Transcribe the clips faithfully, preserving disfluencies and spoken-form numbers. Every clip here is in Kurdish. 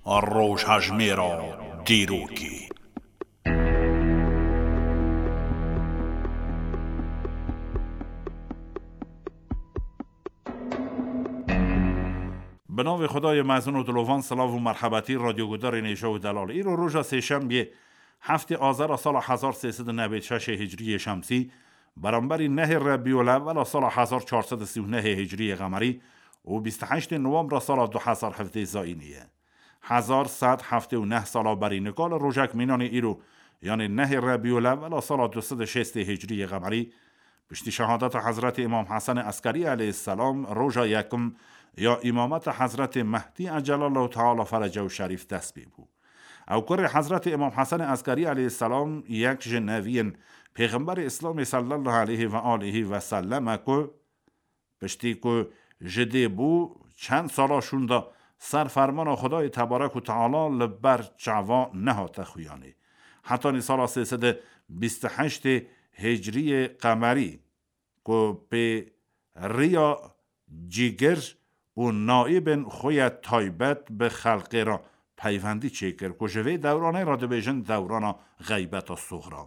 Rojhejmêra dîrokê. Bi navê Xwedayê mezin û dilovan, silav û merhebetî radyogudarên hêja û delal. Îro roja sêşembiyê, heftê Azera sala hezar sê sed û newêd şeşê hicriyê şemsî, beramberî nehê Rebîul Ewwela sala hezar çar sed û sî û nehê hicriyê qemerî û bîst û heştê Nowembra sala du hezar hevdeh zayînî ye. Hezar sed heftê û neh sala berî nika li rojek mînanê îro, yanê nehê Rebîul Ewwela sala du sed û şêstê hicriyê qemerî, piştî şehadeta Hezretê Îmam Hesenê Eskerî aleyhisselam roja yekim ya îmameta Hezretê Mehdî Ecelallahu Teala Ferecehu Şerîf dest pê bû. Ew kurê Hezretê Îmam Hesenê Eskerî aleyhisselam yek ji neviyên Pêxemberê Îslamê sallallahu aleyhi ve aleyhi ve sellem e ku piştî ku ji dê bû çend sala şûnda ser fermana Xwedayê Tebarek û Teala li ber çava nehate xuyanê. Hetanî sala sê sed û bîst û heştê hicriyê qemerî ku pê riya cîgir û naîbên xwe ye taybet bi xelqê re peywendî çêkir ku ji vê dewranê re dibêjin dewrana xeybeta suxra.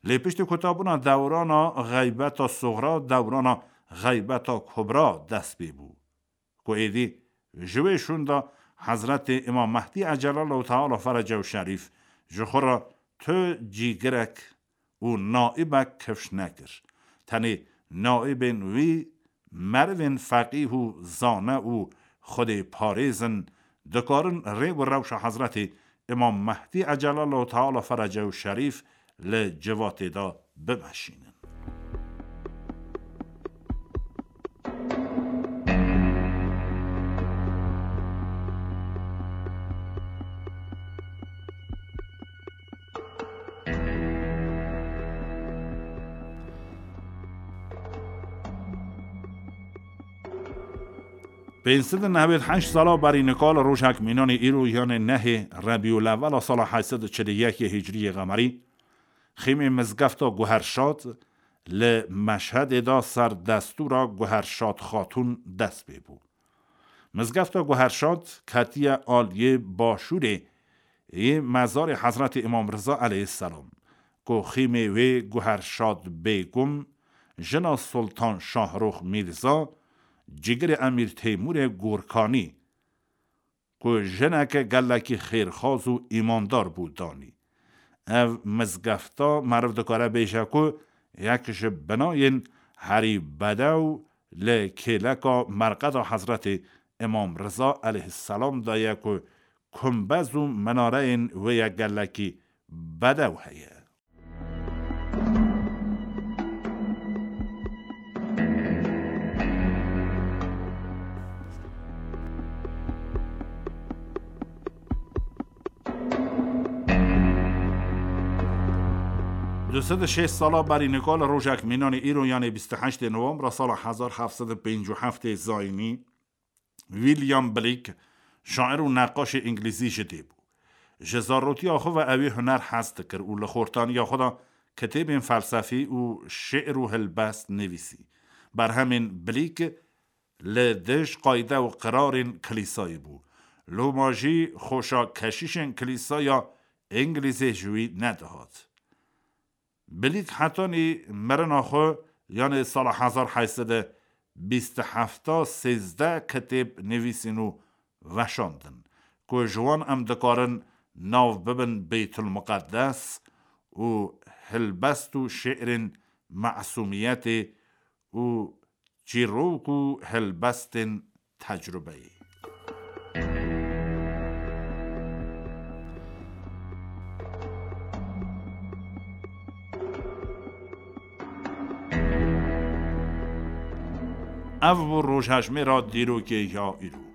Lê piştî kutabûna dewrana xeybeta suxra, dewrana xeybeta kubra dest pê bû. Ku êdî ji wê şûnda Hezretê Îmam Mehdî Ecelallahu Teala Ferecehu Şerîf ji xwe re tu cîgirek û naîbek kifş nekir. Tenê naîbên wî merivên feqîh û zane û Xwedê parêz in, dikarin rê û rewşa Hezretê Îmam Mehdî Ecelallahu Teala Ferecehu Şerîf li civatê de bimeşînin. Pênc sed û newêd heşt sala berî nika li rojek mînanê îro, yanê nehê Rebîul Ewwela sala heşt sed û çil û yekê hicriyê qemerî, xîmê mizgefta Guherşad li Meşhedê de ser destûra Guherşad Xatûn dest pê bû. Mizgefta Guherşad ketiye aliyê başûrê yê mezarê Hezretê Îmam Riza aleyhisselam, ku xîmê wê Guherşad Bêgum, jina Sultan Şahrûx Mîrza, cîgirê Emîr Teymûrê Gorkanî, ku jineke gelekî xêrxwaz û îmandar bû, danî. Ev mizgefta meriv dikare bêje ku yek ji binayên herî bedew li kêleka merqeda Hezretê Îmam Riza aleyhisselam de ye ku kumbez û minareyên wê ye gelekî bedew heye. Du sed û şêst sala berî nika li rojek mînanê îro, yanê bîst û heştê Nowembra sala hezar heft sed û pêncî û heftê zayînî, William Blake, şair û neqaşê îngilîzî ji dê bû. Ji zarotiya xwe ve ew ê huner hez dikir û li xortaniya xwe de kitêbên felsefî û şi'r û hilbest nivîsî. Berhemên Blake li dij qayde û qirarên kilîsayê bû. Loma jî xweşa keşîşên kilîsaya îngilîzê ji wî nedihat. Blake hetanî mirina xwe, yanê sala hezar heyt sed û bîst û heft, sêzdeh kitêb nivîsîn û veşandin, ku ji wan em dikarin nav bibin Beytulmuqeddes û hilbest û şi'rên mesûmiyetê û çîrok û helbestên tecrubeyê. Ev bû rojhejmêra dîrokê ya îro.